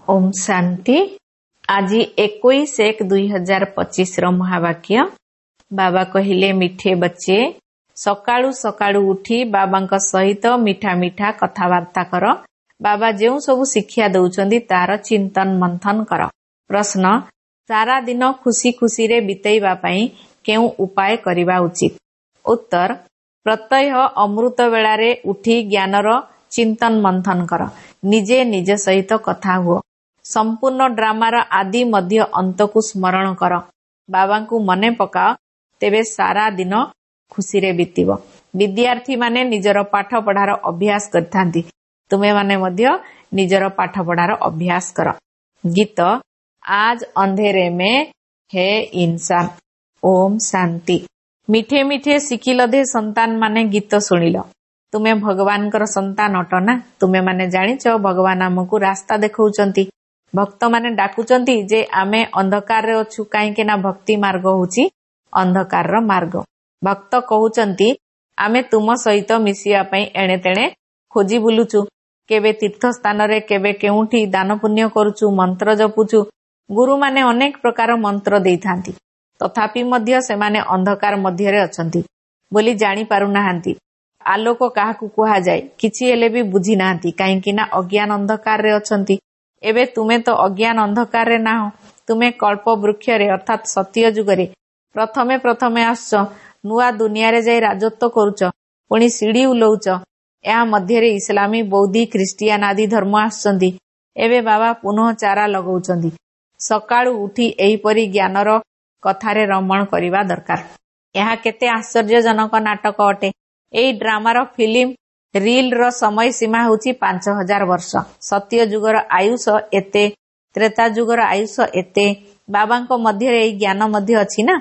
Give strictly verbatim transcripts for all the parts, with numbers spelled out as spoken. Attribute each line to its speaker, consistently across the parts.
Speaker 1: ଓମ୍ ଶାନ୍ତି। ଆଜି ଏକୋଇଶ ଏକ ଦୁଇ ହଜାର ପଚିଶର ମହାବାକ୍ୟ। ବାବା କହିଲେ, ମିଠେ ବଚ୍ଚେ, ସକାଳୁ ସକାଳୁ ଉଠି ବାବାଙ୍କ ସହିତ ମିଠା ମିଠା କଥାବାର୍ତ୍ତା କର। ବାବା ଯେଉଁ ସବୁ ଶିକ୍ଷା ଦଉଛନ୍ତି, ତାର ଚିନ୍ତନ ମନ୍ଥନ କର। ପ୍ରଶ୍ନ, ସାରା ଦିନ ଖୁସି ଖୁସିରେ ବିତେଇବା ପାଇଁ କେଉଁ ଉପାୟ କରିବା ଉଚିତ? ଉତ୍ତର, ପ୍ରତ୍ୟହ ଅମୃତ ବେଳାରେ ଉଠି ଜ୍ଞାନର ଚିନ୍ତନ ମନ୍ଥନ କର। ନିଜେ ନିଜ ସହିତ କଥା ହୁଅ। ସମ୍ପୂର୍ଣ୍ଣ ଡ୍ରାମାର ଆଦି ମଧ୍ୟ ଅନ୍ତକୁ ସ୍ମରଣ କର। ବାବାଙ୍କୁ ମନେ ପକାଅ, ତେବେ ସାରା ଦିନ ଖୁସିରେ ବିତିବ। ବିଦ୍ୟାର୍ଥୀମାନେ ନିଜର ପାଠ ପଢାର ଅଭ୍ୟାସ କରିଥାନ୍ତି। ତୁମେମାନେ ମଧ୍ୟ ନିଜର ପାଠ ପଢାର ଅଭ୍ୟାସ କର। ଗୀତ, ଆଜ ଅନ୍ଧେରେ ମେ ହେ ଇନସାନ। ଓମ୍ ଶାନ୍ତି। ମିଠେ ମିଠେ ଶିଖିଲଧେ ସନ୍ତାନ ମାନେ ଗୀତ ଶୁଣିଲ। ତୁମେ ଭଗବାନଙ୍କର ସନ୍ତାନ ଅଟ ନା? ତୁମେମାନେ ଜାଣିଛ, ଭଗବାନ ଆମକୁ ରାସ୍ତା ଦେଖାଉଛନ୍ତି। ଭକ୍ତମାନେ ଡାକୁଛନ୍ତି ଯେ ଆମେ ଅନ୍ଧକାରରେ ଅଛୁ, କାହିଁକି ନା ଭକ୍ତି ମାର୍ଗ ହଉଛି ଅନ୍ଧକାରର ମାର୍ଗ। ଭକ୍ତ କହୁଛନ୍ତି, ଆମେ ତୁମ ସହିତ ମିଶିବା ପାଇଁ ଏଣେ ତେଣେ ଖୋଜି ବୁଲୁଛୁ। କେବେ ତୀର୍ଥ ସ୍ଥାନରେ, କେବେ କେଉଁଠି ଦାନ ପୁଣ୍ୟ କରୁଛୁ, ମନ୍ତ୍ର ଜପୁଛୁ। ଗୁରୁମାନେ ଅନେକ ପ୍ରକାର ମନ୍ତ୍ର ଦେଇଥାନ୍ତି, ତଥାପି ମଧ୍ୟ ସେମାନେ ଅନ୍ଧକାର ମଧ୍ୟରେ ଅଛନ୍ତି ବୋଲି ଜାଣି ପାରୁନାହାନ୍ତି। ଆଲୋକ କାହାକୁ କୁହାଯାଏ, କିଛି ହେଲେ ବି ବୁଝି ନାହାନ୍ତି, କାହିଁକି ନା ଅଜ୍ଞାନ ଅନ୍ଧକାରରେ ଅଛନ୍ତି। ଏବେ ତୁମେ ତ ଅଜ୍ଞାନ ଅନ୍ଧକାରରେ ନାହଁ। ତୁମେ କଳ୍ପ ବୃକ୍ଷରେ ଅର୍ଥାତ୍ ସତ୍ୟ ଯୁଗରେ ପ୍ରଥମେ ପ୍ରଥମେ ଆସୁଛ। ନୂଆ ଦୁନିଆରେ ଯାଇ ରାଜତ୍ୱ କରୁଛ, ପୁଣି ସିଡି ଉଲଉଛ। ଏହା ମଧ୍ୟରେ ଇସଲାମୀ, ବୌଦ୍ଧ, ଖ୍ରୀଷ୍ଟିଆନ ଆଦି ଧର୍ମ ଆସୁଛନ୍ତି। ଏବେ ବାବା ପୁନଃ ଚାରା ଲଗାଉଛନ୍ତି। ସକାଳୁ ଉଠି ଏହିପରି ଜ୍ଞାନର କଥାରେ ରମଣ କରିବା ଦରକାର। ଏହା କେତେ ଆଶ୍ଚର୍ଯ୍ୟଜନକ ନାଟକ ଅଟେ। ଏହି ଡ୍ରାମାର ଫିଲ୍ମ ରିଲର ସମୟ ସୀମା ହେଉଛି ପାଞ୍ଚ ହଜାର ବର୍ଷ। ସତ୍ୟ ଯୁଗର ଆୟୁଷ ଏତେ, ତ୍ରେତା ଯୁଗର ଆୟୁଷ ଏତେ। ବାବାଙ୍କ ମଧ୍ୟରେ ଏହି ଜ୍ଞାନ ମଧ୍ୟ ଅଛି ନା?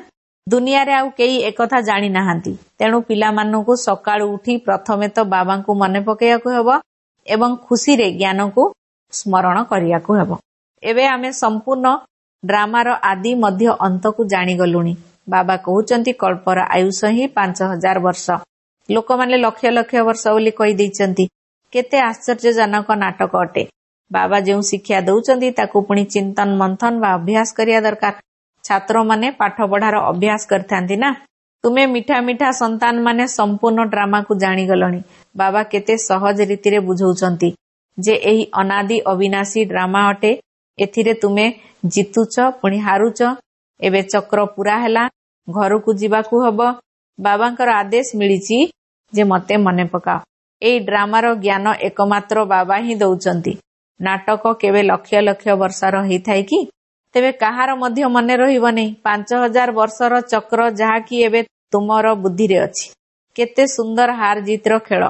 Speaker 1: ଦୁନିଆରେ ଆଉ କେହି ଏକଥା ଜାଣି ନାହାନ୍ତି। ତେଣୁ ପିଲାମାନଙ୍କୁ ସକାଳୁ ଉଠି ପ୍ରଥମେ ତ ବାବାଙ୍କୁ ମନେ ପକାଇବାକୁ ହେବ ଏବଂ ଖୁସିରେ ଜ୍ଞାନକୁ ସ୍ମରଣ କରିବାକୁ ହେବ। ଏବେ ଆମେ ସମ୍ପୂର୍ଣ୍ଣ ଡ୍ରାମାର ଆଦି ମଧ୍ୟ ଅନ୍ତକୁ ଜାଣିଗଲୁଣି। ବାବା କହୁଛନ୍ତି, କଳ୍ପର ଆୟୁଷ ହିଁ ପାଞ୍ଚ ହଜାର ବର୍ଷ। ଲୋକମାନେ ଲକ୍ଷ ଲକ୍ଷ ବର୍ଷ ବୋଲି କହିଦେଇଛନ୍ତି। କେତେ ଆଶ୍ଚର୍ଯ୍ୟଜନକ ନାଟକ ଅଟେ। ବାବା ଯେଉଁ ଶିକ୍ଷା ଦଉଛନ୍ତି, ତାକୁ ପୁଣି ଚିନ୍ତନ ମନ୍ଥନ ବା ଅଭ୍ୟାସ କରିବା ଦରକାର। ଛାତ୍ରମାନେ ପାଠ ପଢାର ଅଭ୍ୟାସ କରିଥାନ୍ତି ନା? ତୁମେ ମିଠା ମିଠା ସନ୍ତାନ ମାନେ ସମ୍ପୂର୍ଣ୍ଣ ଡ୍ରାମାକୁ ଜାଣିଗଲଣି। ବାବା କେତେ ସହଜ ରୀତିରେ ବୁଝାଉଛନ୍ତି ଯେ ଏହି ଅନାଦି ଅବିନାଶୀ ଡ୍ରାମା ଅଟେ। ଏଥିରେ ତୁମେ ଜିତୁଛ, ପୁଣି ହାରୁଛ। ଏବେ ଚକ୍ର ପୁରା ହେଲା, ଘରକୁ ଯିବାକୁ ହବ। ବାବାଙ୍କର ଆଦେଶ ମିଳିଛି ଯେ ମତେ ମନେ ପକାଅ। ଏଇ ଡ୍ରାମାର ଜ୍ଞାନ ଏକମାତ୍ର ବାବା ହିଁ ଦଉଛନ୍ତି। ନାଟକ କେବେ ଲକ୍ଷ ଲକ୍ଷ ବର୍ଷର ହେଇଥାଏ କି? ତେବେ କାହାର ମଧ୍ୟ ମନେ ରହିବନି। ପାଞ୍ଚ ହଜାର ବର୍ଷର ଚକ୍ର, ଯାହାକି ଏବେ ତୁମର ବୁଦ୍ଧିରେ ଅଛି। କେତେ ସୁନ୍ଦର ହାର ଜିତର ଖେଳ।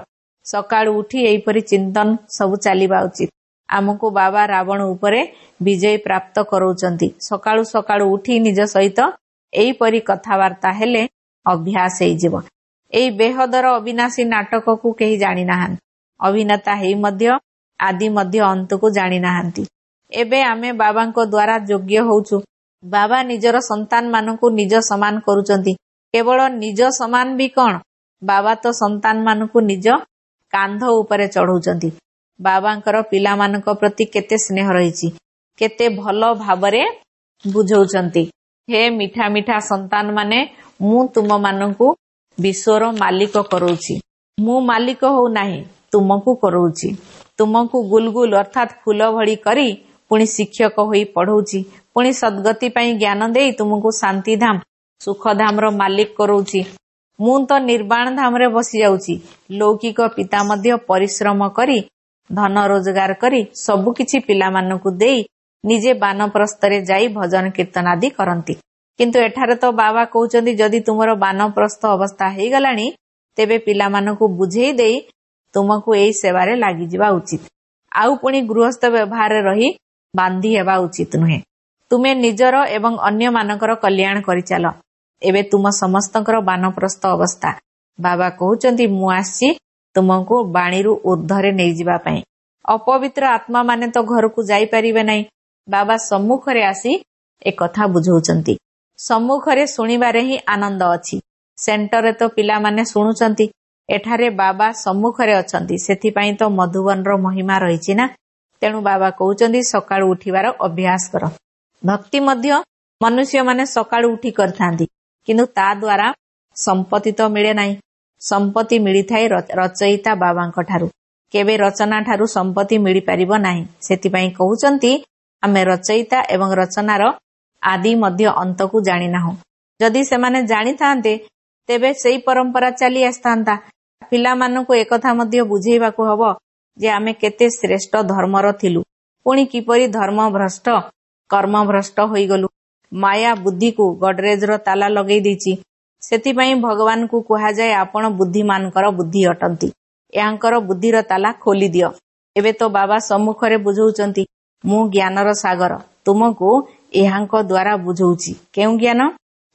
Speaker 1: ସକାଳୁ ଉଠି ଏହିପରି ଚିନ୍ତନ ସବୁ ଚାଲିବା ଉଚିତ। ଆମକୁ ବାବା ରାବଣ ଉପରେ ବିଜୟ ପ୍ରାପ୍ତ କରାଉଛନ୍ତି। ସକାଳୁ ସକାଳୁ ଉଠି ନିଜ ସହିତ ଏହିପରି କଥାବାର୍ତ୍ତା ହେଲେ ଅଭ୍ୟାସ ହେଇଯିବ। ଏଇ ବେହଦର ଅବିନାଶୀ ନାଟକକୁ କେହି ଜାଣିନାହାନ୍ତି। ଅଭିନେତା ହେଇ ମଧ୍ୟ ଆଦି ମଧ୍ୟ ଅନ୍ତକୁ ଜାଣିନାହାନ୍ତି। ଏବେ ଆମେ ବାବାଙ୍କ ଦ୍ୱାରା ଯୋଗ୍ୟ ହଉଛୁ। ବାବା ନିଜର ସନ୍ତାନ ମାନଙ୍କୁ ନିଜ ସମାନ କରୁଛନ୍ତି। କେବଳ ନିଜ ସମାନ ବି କଣ, ବାବା ତ ସନ୍ତାନ ମାନଙ୍କୁ ନିଜ କାନ୍ଧ ଉପରେ ଚଢଉଛନ୍ତି। ବାବାଙ୍କର ପିଲାମାନଙ୍କ ପ୍ରତି କେତେ ସ୍ନେହ ରହିଛି, କେତେ ଭଲ ଭାବରେ ବୁଝଉଛନ୍ତି। ହେ ମିଠା ମିଠା ସନ୍ତାନ ମାନେ, ମୁଁ ତୁମମାନଙ୍କୁ ବିଶ୍ୱର ମାଲିକ କରଉଛି। ମୁଁ ମାଲିକ ହଉନାହିଁ, ତୁମକୁ କରଉଛି। ତୁମକୁ ଗୁଲଗୁଲ ଅର୍ଥାତ୍ ଫୁଲ ଭଳି କରି ପୁଣି ଶିକ୍ଷକ ହୋଇ ପଢଉଛି। ପୁଣି ସଦ୍ଗତି ପାଇଁ ଜ୍ଞାନ ଦେଇ ତୁମକୁ ଶାନ୍ତିଧାମ, ସୁଖଧାମର ମାଲିକ କରଉଛି। ମୁଁ ତ ନିର୍ବାଣ ଧାମରେ ବସି ଯାଉଛି। ଲୌକିକ ପିତା ମଧ୍ୟ ପରିଶ୍ରମ କରି ଧନ ରୋଜଗାର କରି ସବୁକିଛି ପିଲାମାନଙ୍କୁ ଦେଇ ନିଜେ ବାନପ୍ରସ୍ଥରେ ଯାଇ ଭଜନ କୀର୍ତ୍ତନ ଆଦି କରନ୍ତି। କିନ୍ତୁ ଏଠାରେ ତ ବାବା କହୁଛନ୍ତି, ଯଦି ତୁମର ବାନପ୍ରସ୍ଥ ଅବସ୍ଥା ହେଇଗଲାଣି, ତେବେ ପିଲାମାନଙ୍କୁ ବୁଝେଇ ଦେଇ ତୁମକୁ ଏଇ ସେବାରେ ଲାଗିଯିବା ଉଚିତ। ଆଉ ପୁଣି ଗୃହସ୍ଥ ବ୍ୟବହାରରେ ରହି ବାନ୍ଧି ହେବା ଉଚିତ ନୁହେଁ। ତୁମେ ନିଜର ଏବଂ ଅନ୍ୟମାନଙ୍କର କଲ୍ୟାଣ କରିଚାଲ। ଏବେ ତୁମ ସମସ୍ତଙ୍କର ବାନପ୍ରସ୍ଥ ଅବସ୍ଥା। ବାବା କହୁଛନ୍ତି, ମୁଁ ଆସିଛି ତୁମକୁ ବାଣୀରୁ ଉର୍ଦ୍ଧ୍ୱରେ ନେଇଯିବା ପାଇଁ। ଅପବିତ୍ର ଆତ୍ମା ମାନେ ତ ଘରକୁ ଯାଇପାରିବେ ନାହିଁ। ବାବା ସମ୍ମୁଖରେ ଆସି ଏକଥା ବୁଝାଉଛନ୍ତି। ସମ୍ମୁଖରେ ଶୁଣିବାରେ ହିଁ ଆନନ୍ଦ ଅଛି। ସେଣ୍ଟରରେ ତ ପିଲାମାନେ ଶୁଣୁଛନ୍ତି, ଏଠାରେ ବାବା ସମ୍ମୁଖରେ ଅଛନ୍ତି। ସେଥିପାଇଁ ତ ମଧୁବନର ମହିମା ରହିଛି ନା? ତେଣୁ ବାବା କହୁଛନ୍ତି ସକାଳୁ ଉଠିବାର ଅଭ୍ୟାସ କର। ଭକ୍ତି ମଧ୍ୟ ମନୁଷ୍ୟମାନେ ସକାଳୁ ଉଠି କରିଥାନ୍ତି, କିନ୍ତୁ ତା ଦ୍ୱାରା ସମ୍ପତ୍ତି ତ ମିଳେ ନାହିଁ। ସମ୍ପତ୍ତି ମିଳିଥାଏ ରଚୟିତା ବାବାଙ୍କ ଠାରୁ। କେବେ ରଚନା ଠାରୁ ସମ୍ପତ୍ତି ମିଳିପାରିବ ନାହିଁ। ସେଥିପାଇଁ କହୁଛନ୍ତି ଆମେ ରଚୟିତା ଏବଂ ରଚନାର ଆଦି ମଧ୍ୟ ଅନ୍ତକୁ ଜାଣିନାହୁଁ। ଯଦି ସେମାନେ ଜାଣିଥାନ୍ତେ ତେବେ ସେଇ ପରମ୍ପରା ଚାଲି ଆସିଥାନ୍ତା। ପିଲାମାନଙ୍କୁ ଏକଥା ମଧ୍ୟ ବୁଝେଇବାକୁ ହବ ଯେ ଆମେ କେତେ ଶ୍ରେଷ୍ଠ ଧର୍ମର ଥିଲୁ, ପୁଣି କିପରି ଧର୍ମ ଭ୍ରଷ୍ଟ କର୍ମ ଭ୍ରଷ୍ଟ ହୋଇଗଲୁ। ମାୟା ବୁଦ୍ଧିକୁ ଗଡରେଜର ତାଲା ଲଗେଇ ଦେଇଛି। ସେଥିପାଇଁ ଭଗବାନଙ୍କୁ କୁହାଯାଏ ଆପଣ ବୁଦ୍ଧିମାନଙ୍କର ବୁଦ୍ଧି ଅଟନ୍ତି, ଏହାଙ୍କର ବୁଦ୍ଧିର ତାଲା ଖୋଲି ଦିଅ। ଏବେ ତ ବାବା ସମ୍ମୁଖରେ ବୁଝଉଛନ୍ତି, ମୁଁ ଜ୍ଞାନର ସାଗର, ତୁମକୁ ଏହାଙ୍କ ଦ୍ୱାରା ବୁଝଉଛି। କେଉଁ ଜ୍ଞାନ?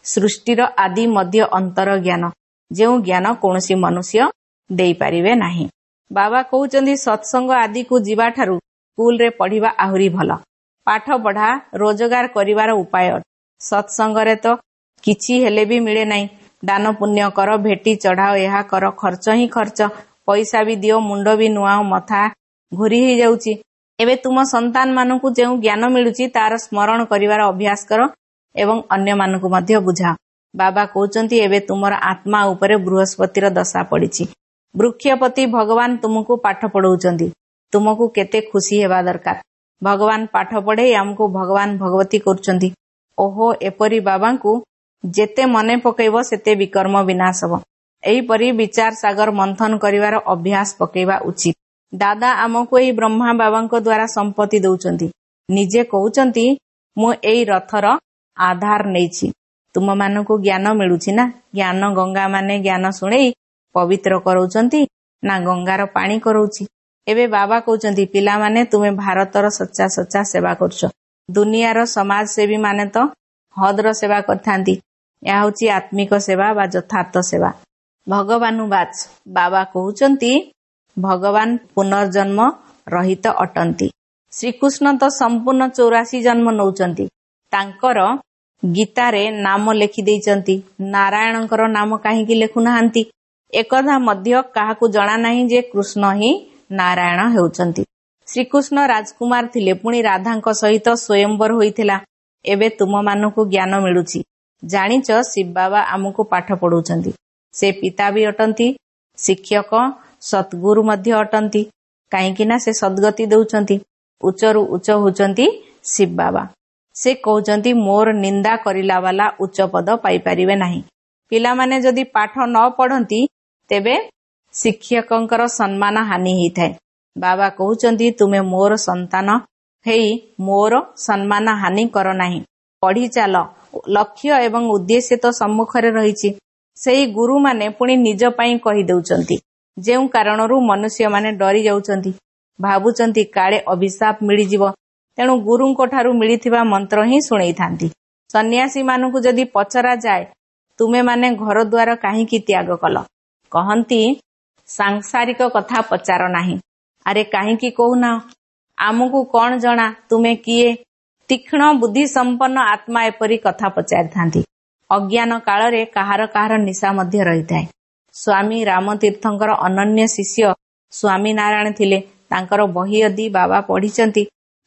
Speaker 1: ସୃଷ୍ଟିର ଆଦି ମଧ୍ୟ ଅନ୍ତର ଜ୍ଞାନ, ଯେଉଁ ଜ୍ଞାନ କୌଣସି ମନୁଷ୍ୟ ଦେଇପାରିବେ ନାହିଁ। ବାବା କହୁଛନ୍ତି ସତ୍ସଙ୍ଗ ଆଦିକୁ ଯିବାଠାରୁ ସ୍କୁଲରେ ପଢିବା ଆହୁରି ଭଲ। ପାଠ ପଢା ରୋଜଗାର କରିବାର ଉପାୟ। ସତ୍ସଙ୍ଗରେ ତ କିଛି ହେଲେ ବି ମିଳେ ନାହିଁ। ଦାନ ପୁଣ୍ୟ କର, ଭେଟି ଚଢାଅ, ଏହା କର, ଖର୍ଚ୍ଚ ହିଁ ଖର୍ଚ୍ଚ। ପଇସା ବି ଦିଅ, ମୁଣ୍ଡ ବି ନୁଆଅ, ମଥା ଘୁରି ହେଇଯାଉଛି। ଏବେ ତୁମ ସନ୍ତାନ ମାନଙ୍କୁ ଯେଉଁ ଜ୍ଞାନ ମିଳୁଛି ତାର ସ୍ମରଣ କରିବାର ଅଭ୍ୟାସ କର ଏବଂ ଅନ୍ୟମାନଙ୍କୁ ମଧ୍ୟ ବୁଝାଅ। ବାବା କହୁଛନ୍ତି ଏବେ ତୁମର ଆତ୍ମା ଉପରେ ବୃହସ୍ପତିର ଦଶା ପଡିଛି। ବୃକ୍ଷପତି ଭଗବାନ ତୁମକୁ ପାଠ ପଢଉଛନ୍ତି, ତୁମକୁ କେତେ ଖୁସି ହେବା ଦରକାର। ଭଗବାନ ପାଠ ପଢେଇ ଆମକୁ ଭଗବାନ ଭଗବତୀ କରୁଛନ୍ତି। ଓହୋ, ଏପରି ବାବାଙ୍କୁ ଯେତେ ମନେ ପକେଇବ ସେତେ ବିକର୍ମ ବିନାଶ ହବ। ଏହିପରି ବିଚାର ସାଗର ମନ୍ଥନ କରିବାର ଅଭ୍ୟାସ ପକେଇବା ଉଚିତ। ଦାଦା ଆମକୁ ଏହି ବ୍ରହ୍ମା ବାବାଙ୍କ ଦ୍ୱାରା ସମ୍ପତ୍ତି ଦଉଛନ୍ତି। ନିଜେ କହୁଛନ୍ତି ମୁଁ ଏଇ ରଥର ଆଧାର ନେଇଛି। ତୁମମାନଙ୍କୁ ଜ୍ଞାନ ମିଳୁଛି ନା? ଜ୍ଞାନ ଗଙ୍ଗା ମାନେ ଜ୍ଞାନ ଶୁଣେଇ ପବିତ୍ର କରାଉଛନ୍ତି ନା ଗଙ୍ଗାର ପାଣି କରାଉଛି? ଏବେ ବାବା କହୁଛନ୍ତି ପିଲାମାନେ ତୁମେ ଭାରତର ସଚ୍ଚା ସଚ୍ଚା ସେବା କରୁଛ। ଦୁନିଆର ସମାଜସେବୀ ମାନେ ତ ହଦର ସେବା କରିଥାନ୍ତି। ଏହା ହଉଛି ଆତ୍ମିକ ସେବା ବା ଯଥାର୍ଥ ସେବା। ଭଗବାନୁବାଚ, ବାବା କହୁଛନ୍ତି ଭଗବାନ ପୁନର୍ଜନ୍ମ ରହିତ ଅଟନ୍ତି। ଶ୍ରୀକୃଷ୍ଣ ତ ସମ୍ପୂର୍ଣ୍ଣ ଚଉରାଶୀ ଜନ୍ମ ନଉଛନ୍ତି। ତାଙ୍କର ଗୀତାରେ ନାମ ଲେଖି ଦେଇଛନ୍ତି। ନାରାୟଣଙ୍କର ନାମ କାହିଁକି ଲେଖୁନାହାନ୍ତି? ଏକଥା ମଧ୍ୟ କାହାକୁ ଜଣା ନାହିଁ ଯେ କୃଷ୍ଣ ହିଁ ନାରାୟଣ ହେଉଛନ୍ତି। ଶ୍ରୀକୃଷ୍ଣ ରାଜକୁମାର ଥିଲେ, ପୁଣି ରାଧାଙ୍କ ସହିତ ସ୍ୱୟଂବର ହୋଇଥିଲା। ଏବେ ତୁମମାନଙ୍କୁ ଜ୍ଞାନ ମିଳୁଛି। ଜାଣିଛ ଶିବ ବାବା ଆମକୁ ପାଠ ପଢଉଛନ୍ତି। ସେ ପିତା ବି ଅଟନ୍ତି, ଶିକ୍ଷକ ସଦ୍ଗୁରୁ ମଧ୍ୟ ଅଟନ୍ତି। କାହିଁକି ନା ସେ ସଦ୍ଗତି ଦଉଛନ୍ତି। ଉଚ୍ଚରୁ ଉଚ୍ଚ ହଉଛନ୍ତି ଶିବ ବାବା। ସେ କହୁଛନ୍ତି ମୋର ନିନ୍ଦା କରିଲା ବାଲା ଉଚ୍ଚ ପଦ ପାଇପାରିବେ ନାହିଁ। ପିଲାମାନେ ଯଦି ପାଠ ନ ପଢନ୍ତି ତେବେ ଶିକ୍ଷକଙ୍କର ସମ୍ମାନ ହାନି ହେଇଥାଏ। ବାବା କହୁଛନ୍ତି ତୁମେ ମୋର ସନ୍ତାନ ହେଇ ମୋର ସମ୍ମାନ ହାନି କର ନାହିଁ। ପଢି ଚାଲ। ଲକ୍ଷ୍ୟ ଏବଂ ଉଦ୍ଦେଶ୍ୟ ତ ସମ୍ମୁଖରେ ରହିଛି। ସେଇ ଗୁରୁମାନେ ପୁଣି ନିଜ ପାଇଁ କହିଦେଉଛନ୍ତି, ଯେଉଁ କାରଣରୁ ମନୁଷ୍ୟମାନେ ଡରି ଯାଉଛନ୍ତି, ଭାବୁଛନ୍ତି କାଳେ ଅଭିଶାପ ମିଳିଯିବ। ତେଣୁ ଗୁରୁଙ୍କ ଠାରୁ ମିଳିଥିବା ମନ୍ତ୍ର ହିଁ ଶୁଣେଇଥାନ୍ତି। ସନ୍ନ୍ୟାସୀ ମାନଙ୍କୁ ଯଦି ପଚରା ଯାଏ ତୁମେମାନେ ଘର ଦ୍ୱାର କାହିଁକି ତ୍ୟାଗ କଲ, କହନ୍ତି ସାଂସାରିକ କଥା ପଚାର ନାହିଁ। ଆରେ କାହିଁକି କହୁନା, ଆମକୁ କଣ ଜଣା ତୁମେ କିଏ? ତୀକ୍ଷ୍ଣ ବୁଦ୍ଧି ସମ୍ପନ୍ନ ଆତ୍ମା ଏପରି କଥା ପଚାରିଥାନ୍ତି। ଅଜ୍ଞାନ କାଳରେ କାହାର କାହାର ନିଶା ମଧ୍ୟ ରହିଥାଏ। ସ୍ୱାମୀ ରାମତୀର୍ଥଙ୍କର ଅନନ୍ୟ ଶିଷ୍ୟ ସ୍ୱାମୀ ନାରାୟଣ ଥିଲେ। ତାଙ୍କର ବହି ଆଦି ବାବା ପଢିଛନ୍ତି।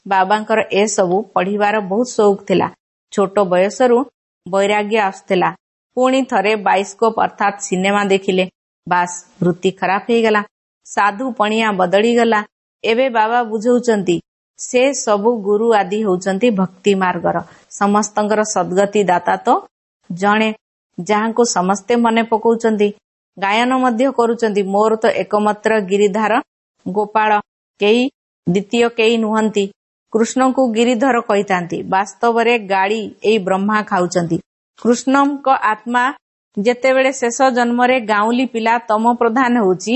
Speaker 1: ବାବାଙ୍କର ଏସବୁ ପଢିବାର ବହୁତ ସଉକ ଥିଲା। ଛୋଟ ବୟସରୁ ବୈରାଗ୍ୟ ଆସୁଥିଲା। ପୁଣି ଥରେ ବାଇସ୍କୋପ ଅର୍ଥାତ୍ ସିନେମା ଦେଖିଲେ, ବାସ୍ ବୃତ୍ତି ଖରାପ ହେଇଗଲା, ସାଧୁ ପଣିଆ ବଦଳିଗଲା। ଏବେ ବାବା ବୁଝଉଛନ୍ତି ସେ ସବୁ ଗୁରୁ ଆଦି ହେଉଛନ୍ତି ଭକ୍ତି ମାର୍ଗର। ସମସ୍ତଙ୍କର ସଦ୍ଗତି ଦାତା ତ ଜଣେ, ଯାହାଙ୍କୁ ସମସ୍ତେ ମନେ ପକାଉଛନ୍ତି, ଗାୟନ ମଧ୍ୟ କରୁଛନ୍ତି। ମୋର ତ ଏକମାତ୍ର ଗିରିଧାର ଗୋପାଳ, କେହି ଦ୍ୱିତୀୟ କେହି ନୁହନ୍ତି। କୃଷ୍ଣଙ୍କୁ ଗିରିଧର କହିଥାନ୍ତି। ବାସ୍ତବରେ ଗାଳି ଏଇ ବ୍ରହ୍ମା ଖାଉଛନ୍ତି। କୃଷ୍ଣଙ୍କ ଆତ୍ମା ଯେତେବେଳେ ଶେଷ ଜନ୍ମରେ ଗାଉଁଲି ପିଲା ତମ ପ୍ରଧାନ ହେଉଛି,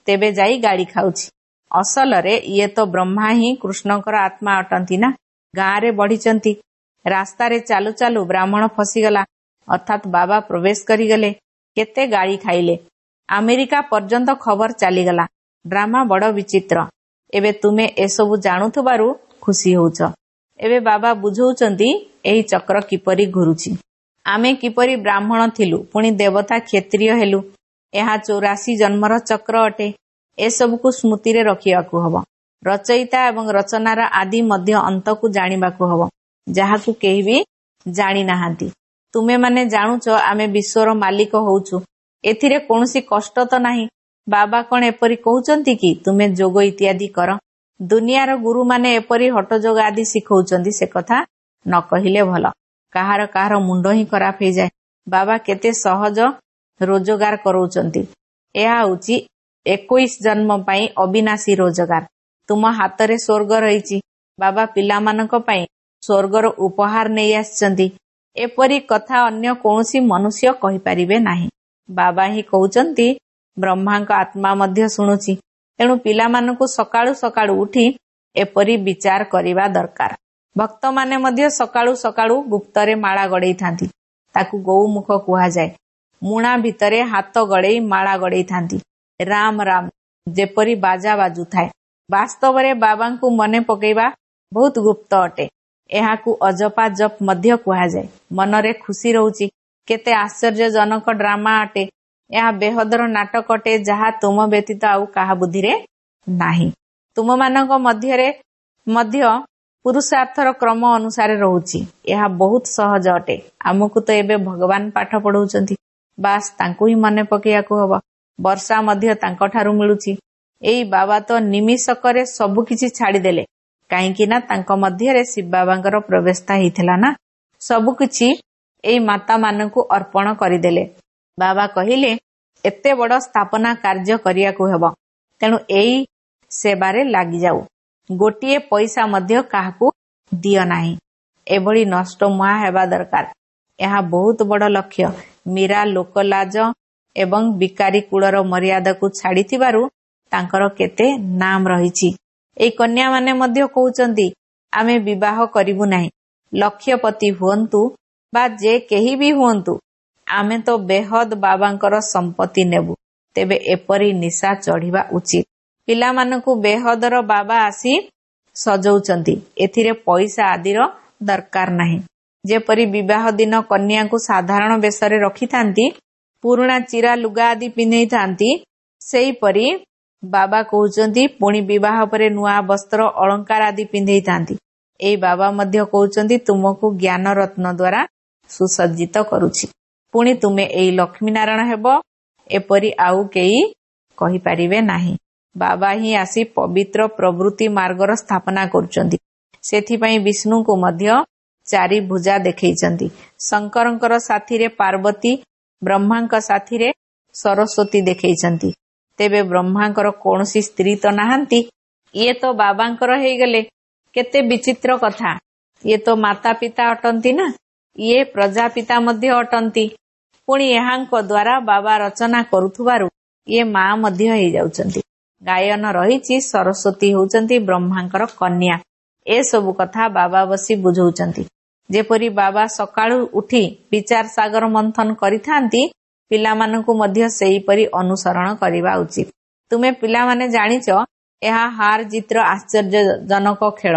Speaker 1: ତେବେ ଯାଇ ଗାଳି ଖାଉଛି। ଅସଲରେ ଇଏ ତ ବ୍ରହ୍ମା ହିଁ କୃଷ୍ଣଙ୍କର ଆତ୍ମା ଅଟନ୍ତି ନା। ଗାଁରେ ବଢିଛନ୍ତି। ରାସ୍ତାରେ ଚାଲୁ ଚାଲୁ ବ୍ରାହ୍ମଣ ଫସିଗଲା, ଅର୍ଥାତ୍ ବାବା ପ୍ରବେଶ କରିଗଲେ। କେତେ ଗାଳି ଖାଇଲେ। ଆମେରିକା ପର୍ଯ୍ୟନ୍ତ ଖବର ଚାଲିଗଲା। ଡ୍ରାମା ବଡ ବିଚିତ୍ର। ଏବେ ତୁମେ ଏସବୁ ଜାଣୁଥିବାରୁ ଖୁସି ହଉଛ। ଏବେ ବାବା ବୁଝଉଛନ୍ତି ଏହି ଚକ୍ର କିପରି ଘୁରୁଛି। ଆମେ କିପରି ବ୍ରାହ୍ମଣ ଥିଲୁ, ପୁଣି ଦେବତା କ୍ଷତ୍ରିୟ ହେଲୁ। ଏହା ଚଉରାଶୀ ଜନ୍ମର ଚକ୍ର ଅଟେ। ଏସବୁକୁ ସ୍ମୃତିରେ ରଖିବାକୁ ହବ। ରଚୟିତା ଏବଂ ରଚନାର ଆଦି ମଧ୍ୟ ଅନ୍ତକୁ ଜାଣିବାକୁ ହେବ, ଯାହାକୁ କେହି ବି ଜାଣି ନାହାନ୍ତି। ତୁମେମାନେ ଜାଣୁଛ ଆମେ ବିଶ୍ୱର ମାଲିକ ହଉଛୁ, ଏଥିରେ କୌଣସି କଷ୍ଟ ତ ନାହିଁ। ବାବା କଣ ଏପରି କହୁଛନ୍ତି କି ତୁମେ ଯୋଗ ଇତ୍ୟାଦି କର? ଦୁନିଆର ଗୁରୁମାନେ ଏପରି ହଠଯୋଗ ଆଦି ଶିଖଉଛନ୍ତି, ସେ କଥା ନ କହିଲେ ଭଲ। କାହାର କାହାର ମୁଣ୍ଡ ହିଁ ଖରାପ ହେଇଯାଏ। ବାବା କେତେ ସହଜ ରୋଜଗାର କରାଉଛନ୍ତି। ଏହା ହେଉଛି ଏକୋଇଶ ଜନ୍ମ ପାଇଁ ଅବିନାଶୀ ରୋଜଗାର। ତୁମ ହାତରେ ସ୍ୱର୍ଗ ରହିଛି। ବାବା ପିଲାମାନଙ୍କ ପାଇଁ ସ୍ୱର୍ଗର ଉପହାର ନେଇ ଆସିଛନ୍ତି। ଏପରି କଥା ଅନ୍ୟ କୌଣସି ମନୁଷ୍ୟ କହିପାରିବେ ନାହିଁ। ବାବା ହିଁ କହୁଛନ୍ତି, ବ୍ରହ୍ମାଙ୍କ ଆତ୍ମା ମଧ୍ୟ ଶୁଣୁଛି। ତେଣୁ ପିଲାମାନଙ୍କୁ ସକାଳୁ ସକାଳୁ ଉଠି ଏପରି ବିଚାର କରିବା ଦରକାର। ଭକ୍ତମାନେ ମଧ୍ୟ ସକାଳୁ ସକାଳୁ ଗୁପ୍ତରେ ମାଳା ଗଡେଇଥାନ୍ତି, ତାକୁ ଗୌମୁଖ କୁହାଯାଏ। ମୁଣା ଭିତରେ ହାତ ଗଡେଇ ମାଳା ଗଡେଇଥାନ୍ତି, ରାମ ରାମ ଯେପରି ବାଜା ବାଜୁଥାଏ। ବାସ୍ତବରେ ବାବାଙ୍କୁ ମନେ ପକେଇବା ବହୁତ ଗୁପ୍ତ ଅଟେ। ଏହାକୁ ଅଜପା ଜପ ମଧ୍ୟ କୁହାଯାଏ। ମନରେ ଖୁସି ରହୁଛି। କେତେ ଆଶ୍ଚର୍ଯ୍ୟଜନକ ଡ୍ରାମା ଅଟେ। ଏହା ବେହଦର ନାଟକ ଅଟେ, ଯାହା ତୁମ ବ୍ୟତୀତ ଆଉ କାହା ବୁଦ୍ଧିରେ ନାହିଁ। ତୁମମାନଙ୍କ ମଧ୍ୟରେ ମଧ୍ୟ ପୁରୁଷାର୍ଥର କ୍ରମ ଅନୁସାରେ ରହୁଛି। ଏହା ବହୁତ ସହଜ ଅଟେ। ଆମକୁ ତ ଏବେ ଭଗବାନ ପାଠ ପଢଉଛନ୍ତି, ବାସ୍ ତାଙ୍କୁ ହିଁ ମନେ ପକେଇବାକୁ ହବ। ବର୍ଷା ମଧ୍ୟ ତାଙ୍କଠାରୁ ମିଳୁଛି। ଏଇ ବାବା ତ ନିମିଷକରେ ସବୁ କିଛି ଛାଡିଦେଲେ, କାହିଁକି ନା ତାଙ୍କ ମଧ୍ୟରେ ଶିବ ବାବାଙ୍କର ପ୍ରବେଶତା ହେଇଥିଲା ନା। ସବୁ କିଛି ଏଇ ମାତା ମାନଙ୍କୁ ଅର୍ପଣ କରିଦେଲେ। ବାବା କହିଲେ ଏତେ ବଡ ସ୍ଥାପନା କାର୍ଯ୍ୟ କରିବାକୁ ହେବ, ତେଣୁ ଏଇ ସେବାରେ ଲାଗିଯାଉ। ଗୋଟିଏ ପଇସା ମଧ୍ୟ କାହାକୁ ଦିଅ ନାହିଁ। ଏଭଳି ନଷ୍ଟ ମୁହାଁ ହେବା ଦରକାର। ଏହା ବହୁତ ବଡ ଲକ୍ଷ୍ୟ। ମୀରା ଲୋକଲାଜ ଏବଂ ବିକାରୀ କୂଳର ମର୍ୟାଦାକୁ ଛାଡିଥିବାରୁ ତାଙ୍କର କେତେ ନାମ ରହିଛି। ଏଇ କନ୍ୟାମାନେ ମଧ୍ୟ କହୁଛନ୍ତି ଆମେ ବିବାହ କରିବୁ ନାହିଁ। ଲକ୍ଷ୍ୟପତି ହୁଅନ୍ତୁ ବା ଯେ କେହି ବି ହୁଅନ୍ତୁ, ଆମେ ତ ବେହଦ ବାବାଙ୍କର ସମ୍ପତ୍ତି ନେବୁ। ତେବେ ଏପରି ନିଶା ଚଢିବା ଉଚିତ। ପିଲାମାନଙ୍କୁ ବେହଦର ବାବା ଆସି ସଜଉଛନ୍ତି, ଏଥିରେ ପଇସା ଆଦିର ଦରକାର ନାହିଁ। ଯେପରି ବିବାହ ଦିନ କନ୍ୟାଙ୍କୁ ସାଧାରଣ ବେଶରେ ରଖିଥାନ୍ତି, ପୁରୁଣା ଚିରା ଲୁଗା ଆଦି ପିନ୍ଧେଇଥାନ୍ତି, ସେହିପରି ବାବା କହୁଛନ୍ତି ପୁଣି ବିବାହ ପରେ ନୂଆ ବସ୍ତ୍ର ଅଳଙ୍କାର ଆଦି ପିନ୍ଧେଇଥାନ୍ତି। ଏଇ ବାବା ମଧ୍ୟ କହୁଛନ୍ତି ତୁମକୁ ଜ୍ଞାନ ରତ୍ନ ଦ୍ୱାରା ସୁସଜ୍ଜିତ କରୁଛି, ପୁଣି ତୁମେ ଏଇ ଲକ୍ଷ୍ମୀ ନାରାୟଣ ହେବ, ଏପରି ଆଉ କେହି କହିପାରିବେ ନାହିଁ। ବାବା ହିଁ ଆସି ପବିତ୍ର ପ୍ରବୃତ୍ତି ମାର୍ଗର ସ୍ଥାପନା କରୁଛନ୍ତି। ସେଥିପାଇଁ ବିଷ୍ଣୁଙ୍କୁ ମଧ୍ୟ ଚାରି ଭୁଜା ଦେଖେଇଛନ୍ତି। ଶଙ୍କରଙ୍କର ସାଥିରେ ପାର୍ବତୀ, ବ୍ରହ୍ମାଙ୍କ ସାଥିରେ ସରସ୍ୱତୀ ଦେଖେଇଛନ୍ତି। ତେବେ ବ୍ରହ୍ମାଙ୍କର କୌଣସି ସ୍ତ୍ରୀ ତ ନାହାନ୍ତି, ଇଏ ତ ବାବାଙ୍କର ହେଇଗଲେ। କେତେ ବିଚିତ୍ର କଥା! ଇଏ ତ ମାତା ପିତା ଅଟନ୍ତି ନା, ଇଏ ପ୍ରଜାପିତା ମଧ୍ୟ ଅଟନ୍ତି। ପୁଣି ଏହାଙ୍କ ଦ୍ୱାରା ବାବା ରଚନା କରୁଥିବାରୁ ଇଏ ମା ମଧ୍ୟ ହେଇଯାଉଛନ୍ତି। ଗାୟନ ରହିଛି ସରସ୍ୱତୀ ହେଉଛନ୍ତି ବ୍ରହ୍ମାଙ୍କର କନ୍ୟା। ଏସବୁ କଥା ବାବା ବସି ବୁଝଉଛନ୍ତି। ଯେପରି ବାବା ସକାଳୁ ଉଠି ବିଚାର ସାଗର ମନ୍ଥନ କରିଥାନ୍ତି, ପିଲାମାନଙ୍କୁ ମଧ୍ୟ ସେହିପରି ଅନୁସରଣ କରିବା ଉଚିତ। ତୁମେ ପିଲାମାନେ ଜାଣିଛ ଏହା ହାର ଜିତର ଆଶ୍ଚର୍ଯ୍ୟଜନକ ଖେଳ।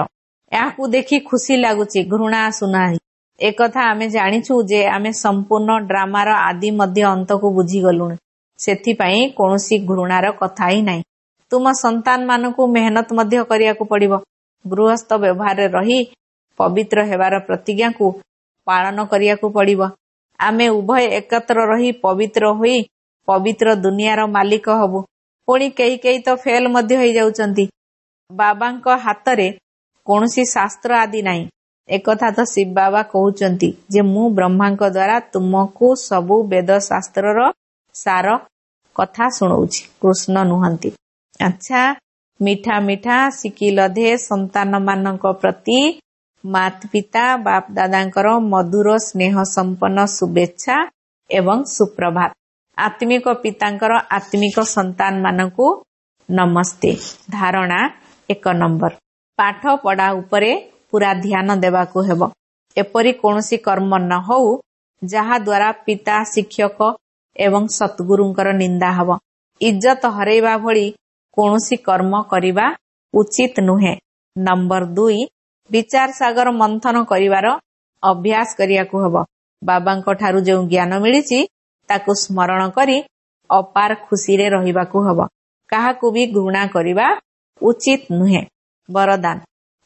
Speaker 1: ଏହାକୁ ଦେଖି ଖୁସି ଲାଗୁଛି, ଘୃଣା ଆସୁନାହିଁ। ଏକଥା ଆମେ ଜାଣିଛୁ ଯେ ଆମେ ସମ୍ପୂର୍ଣ୍ଣ ଡ୍ରାମାର ଆଦି ମଧ୍ୟ ଅନ୍ତକୁ ବୁଝିଗଲୁଣି। ସେଥିପାଇଁ କୌଣସି ଘୃଣାର କଥା ହିଁ ନାହିଁ। ତୁମ ସନ୍ତାନମାନଙ୍କୁ ମେହନତ ମଧ୍ୟ କରିବାକୁ ପଡିବ। ଗୃହସ୍ଥ ବ୍ୟବହାରରେ ରହି ପବିତ୍ର ହେବାର ପ୍ରତିଜ୍ଞାକୁ ପାଳନ କରିବାକୁ ପଡିବ। ଆମେ ଉଭୟ ଏକତ୍ର ରହି ପବିତ୍ର ହୋଇ ପବିତ୍ର ଦୁନିଆର ମାଲିକ ହବୁ। ପୁଣି କେହି କେହି ତ ଫେଲ ମଧ୍ୟ ହେଇଯାଉଛନ୍ତି। ବାବାଙ୍କ ହାତରେ କୌଣସି ଶାସ୍ତ୍ର ଆଦି ନାହିଁ। ଏକଥା ତ ଶିବ ବାବା କହୁଛନ୍ତି ଯେ ମୁଁ ବ୍ରହ୍ମାଙ୍କ ଦ୍ୱାରା ତୁମକୁ ସବୁ ବେଦ ଶାସ୍ତ୍ରର ସାର କଥା ଶୁଣଉଛି, କୃଷ୍ଣ ନୁହନ୍ତି। ଆଚ୍ଛା, ମିଠା ମିଠା ଶିଖିଲଧେ ସନ୍ତାନମାନଙ୍କ ପ୍ରତି ମାତା ପିତା ବାପ ଦାଦାଙ୍କର ମଧୁର ସ୍ନେହ ସମ୍ପନ୍ନ ଶୁଭେଚ୍ଛା ଏବଂ ସୁପ୍ରଭାତ। ଆତ୍ମିକ ପିତାଙ୍କର ଆତ୍ମିକ ସନ୍ତାନମାନଙ୍କୁ ନମସ୍ତେ। ଧାରଣା ଏକ ନମ୍ବର, ପାଠ ପଢା ଉପରେ ପୁରା ଧ୍ୟାନ ଦେବାକୁ ହେବ। ଏପରି କୌଣସି କର୍ମ ନ ହଉ ଯାହା ଦ୍ୱାରା ପିତା, ଶିକ୍ଷକ ଏବଂ ସତ୍ଗୁରୁଙ୍କର ନିନ୍ଦା ହବ। ଇଜ୍ଜତ ହରେଇବା ଭଳି କୌଣସି କର୍ମ କରିବା ଉଚିତ ନୁହେଁ। ନମ୍ବର ଦୁଇ, ବିଚାର ସାଗର ମନ୍ଥନ କରିବାର ଅଭ୍ୟାସ କରିବାକୁ ହବ। ବାବାଙ୍କ ଠାରୁ ଯେଉଁ ଜ୍ଞାନ ମିଳିଛି ତାକୁ ସ୍ମରଣ କରି ଅପାର ଖୁସିରେ ରହିବାକୁ ହବ। କାହାକୁ ବି ଘୃଣା କରିବା ଉଚିତ ନୁହେଁ। ବରଦାନ,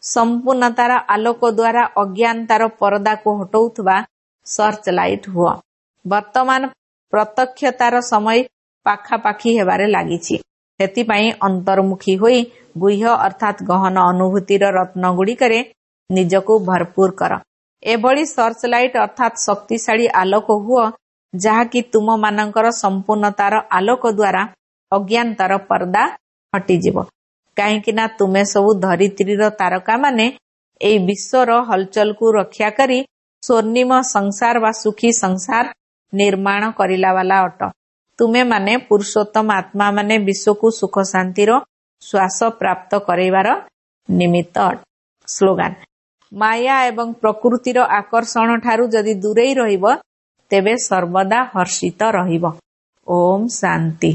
Speaker 1: ସମ୍ପୂର୍ଣ୍ଣତାର ଆଲୋକ ଦ୍ୱାରା ଅଜ୍ଞାନତାର ପରଦାକୁ ହଟଉଥିବା ସର୍ଚ୍ଚ ଲାଇଟ୍ ହୁଅ। ବର୍ତ୍ତମାନ ପ୍ରତ୍ୟକ୍ଷତାର ସମୟ ପାଖାପାଖି ହେବାରେ ଲାଗିଛି। ସେଥିପାଇଁ ଅନ୍ତର୍ମୁଖୀ ହୋଇ ଗୁହ୍ୟ ଅର୍ଥାତ୍ ଗହନ ଅନୁଭୂତିର ରତ୍ନଗୁଡ଼ିକରେ ନିଜକୁ ଭରପୁର କର। ଏଭଳି ସର୍ଚ୍ଚ ଲାଇଟ୍ ଅର୍ଥାତ୍ ଶକ୍ତିଶାଳୀ ଆଲୋକ ହୁଅ, ଯାହାକି ତୁମମାନଙ୍କର ସମ୍ପୂର୍ଣ୍ଣତାର ଆଲୋକ ଦ୍ୱାରା ଅଜ୍ଞାନତାର ପରଦା ହଟିଯିବ। କାହିଁକି ନା ତୁମେ ସବୁ ଧରିତ୍ରୀର ତାରକାମାନେ ଏଇ ବିଶ୍ୱର ହଲଚଲକୁ ରକ୍ଷା କରି ସ୍ୱର୍ଣ୍ଣିମ ସଂସାର ବା ସୁଖୀ ସଂସାର ନିର୍ମାଣ କରିଲା ବାଲା ଅଟ। ତୁମେମାନେ ପୁରୁଷୋତ୍ତମ ଆତ୍ମାମାନେ ବିଶ୍ୱକୁ ସୁଖ ଶାନ୍ତିର ଶ୍ୱାସ ପ୍ରାପ୍ତ କରାଇବାର ନିମିତ୍ତ ଅଟ। ସ୍ଲୋଗାନ, ମାୟା ଏବଂ ପ୍ରକୃତିର ଆକର୍ଷଣ ଠାରୁ ଯଦି ଦୂରେଇ ରହିବ, ତେବେ ସର୍ବଦା ହର୍ଷିତ ରହିବ। ଓମ୍ ଶାନ୍ତି।